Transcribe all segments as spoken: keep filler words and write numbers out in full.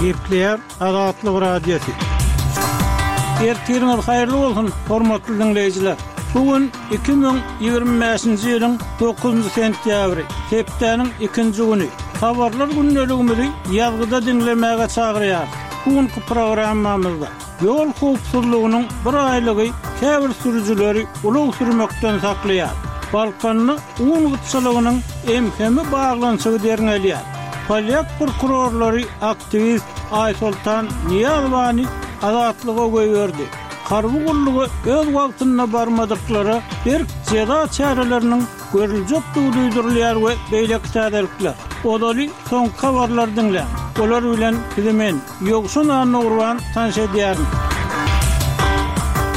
Gepleýär Azatlyk Radiosy. Ertiriňiz haýyrly bolsun, hormatly diňleýjiler. Bu gün iki müň ýigrimi bäşinji ýylyň dokuzynjy sentýabry, hepdäniň ikinji güni. Habarlar gündeligimizi ýazgyda diňlemäge çagyrýarys. Bu günki programmamyzda ýol howpsuzlygynyň bir aýlygy käbir sürüjileri ulag sürmekden saklaýar. Balkanda un gytçylygynyň M H M baglanyşygy derňelýär. Polýak prokurorlary aktiwist Aýsoltan Nyýazowany azatlyga goýberdi. Harby gulluga öz wagtynda barmadyklara berk jeza çäreleriniň görüljekdigi duýdurylýar we beýleki täzelikler. Ozaly soňky habarlar diňläň. Olar bilen sizi men, Ýowşan Annagurban tanyş edýärin.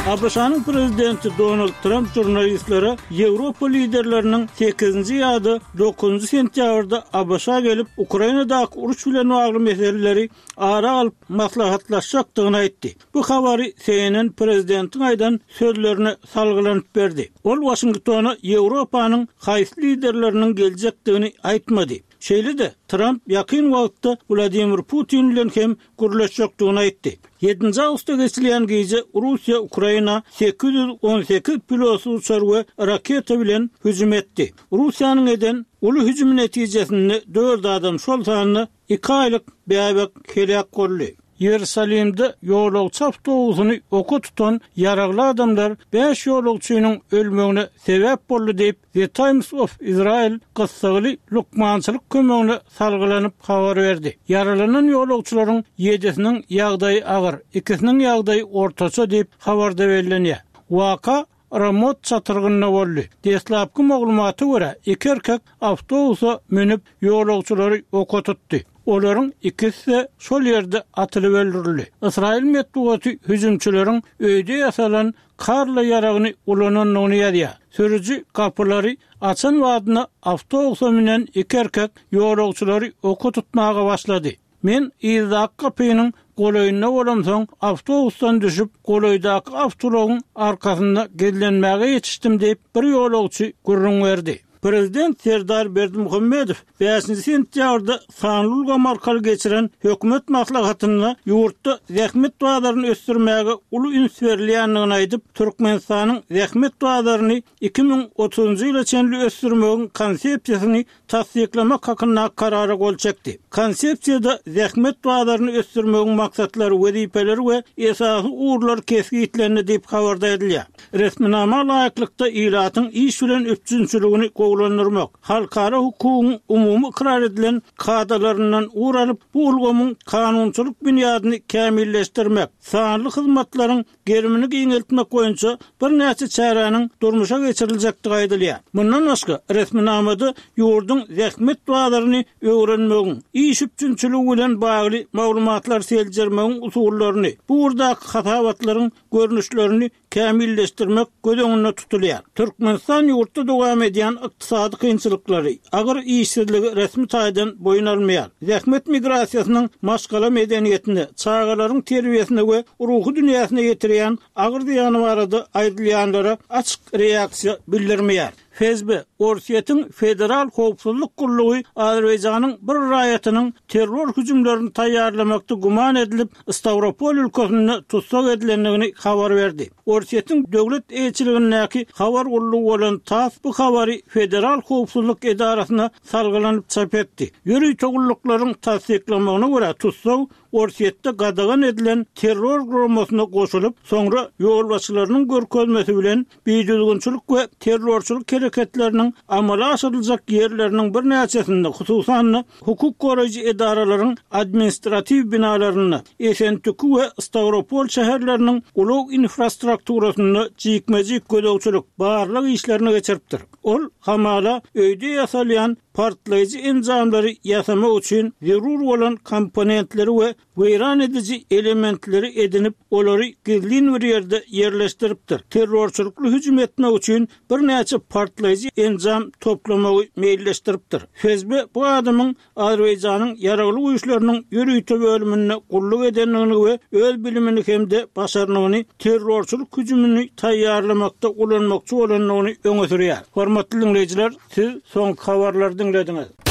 A B Ş-nyň prezidenti Donald Trump žurnalistlere Ýewropa liderleriniň sekizinji ýa-da dokuzynjy sentýabrda A B Ş gelip Ukrainadaky uruş bilen bagly meseleleri ara alyp maslahatlaşjakdygyny aýtdy. Bu habary C N N prezidentiň aýdan sözlerine salgylanyp berdi. Ol Washingtona Ýewropanyň haýsy liderleriniň geljekdigini aýtmady. Şeýle-de Trump ýakyn wagtda Wladimir Putin bilen hem gürleşjekdigini aýtdy. Ýedinji awgustda geçirilen gije Russiýa Ukraina sekiz ýüz on sekiz pilotsyz uçar we raketa bilen hüjüm etdi. Russiýanyň eden uly hüjümi netijesinde dört adam, şol sanda iki aýlyk bäbek heläk boldy. Ýerusalimde ýolagçy awtobusyny oka tutan ýaragly adamlar bäş ýolagçynyň ölmegine sebäp boldy diýip The Times of Israel gyssagly lukmançylyk kömegine salgylanyp habar berdi. Ýaralanan ýolagçylaryň ýedisiniň ýagdaýy agyr, ikisiniň ýagdaýy ortaça diýip habarda bellenýär. Waka Ramot çatyrgynda boldy. Deslapky maglumata görä iki erkek awtobusa münüp ýolagçylary oka tutdy. Olaryň ikisi şol ýerde atylyp öldürildi. Ysraýyl metbugaty hüjümçileriň öýde ýasalan Karla ýaragyny ulanandygyny ýazýar. Sürüji gapylary açan wadyna awtobusa münen iki erkek ýolagçylary oka tutmaga başlady. Men yzdaky gapynyň golaýynda bolamsoň awtobusdan düşüp golaýdaky awtoulagyň arkasynda gizlenmäge ýetişdim diýip bir ýolagçy gürrüň berdi. Prezident Serdar Berdimuhamedow bäşinji sentýabrda sanly ulgam arkaly geçiren hökümet maslahatynda ýurtda zähmet bazaryny ösdürmäge uly üns berilýändigini aýdyp, Türkmenistanyň zähmet bazaryny iki müň otuzynjy ýyla çenli ösdürmegiň konsepsiýasyny tassyklamak hakynda karara gol çekdi. Konsepsiýada zähmet bazaryny ösdürmegiň maksatlary, wezipeleri we esasy ugurlar kesgitlendi diýip habarda edilýär. Resminama laýyklykda ilatyň iş bilen üpjünçiligini gowulandyrmak, halkara hukugyň umumy ykrar edilen kadalaryndan ugur alyp, bu ulgamyň kanunçylyk binýadyny kämilleşdirmek, sanly hyzmatlaryň gerimini giňeltmek boýunça birnäçe çäräniň durmuşa geçiriljekdigi aýdylýar. Mundan başga resminamada ýurduň zähmet bazaryny öwrenmegiň, iş üpjünçiligi bilen bagly maglumatlar seljermegiň usullaryny, bu ugurdaky hasabatlaryň görnüşlerini kämilleşdirmek göz öňünde tutulýar. Türkmenistan ýurtda dowam edýän ykdysady kynçylyklary, agyr işsizligi resmi taýdan boýun almaýar. Zähmet migrasiýasynyň maşgala medeniýetine, çagalaryň terbiýesine we ruhy dünýäsine ýetirýän agyr zyýany barada aýdylýanlara açyk reaksiýa bildirmeýär. F S B, Orsýetiň Federal Howpsuzlyk Gullugy Azerbaýjanyň bir raýatynyň terror hüjümlerini taýýarlamakda güman edilip Stavropol ülkesinde tussag edilendigini habar berdi. Orsýetiň döwlet eýeçiligindäki habar gullugy bolan TASS bu habary Federal Howpsuzlyk edarasyna salgylanyp çap etdi. Ýörite gulluklaryň tassyklamagyna görä tussag Orsýetde gadagan edilen terror guramasyna goşulyp, soňra ýolbaşçylarynyň görkezmesi bilen bidüzgünçilik we terrorçylyk hereketleriniň amala aşyryljak ýerleriniň birnäçesinde, hususan-da hukuk goraýjy edaralaryň administratiw binalarynda, Esentüki we Stavropol şäherleriniň ulag infrastrukturasynda jikme-jik gözegçilik, barlag işlerini geçiripdir. Ol hamala öýde ýasalýan partlaýjy enjamlary ýasamak üçin zerur bolan komponentleri we weýran ediji elementleri edinip, olary gizlin bir ýerde ýerleşdiripdir. Terrorçylykly hüjüm etmek üçin birnäçe partlaýjy enjam toplamagy meýilleşdiripdir. F S B bu adamyň Azerbaýjanyň ýaragly güýçleriniň ýörite bölüminde gulluk edendigini we öz bilimini hem-de başarnygyny terrorçylyk hüjümini taýýarlamakda ulanmakçy bolandygyny öňe sürýär. Hormatly dinleýjiler, siz soňky habarlary diňlediňiz.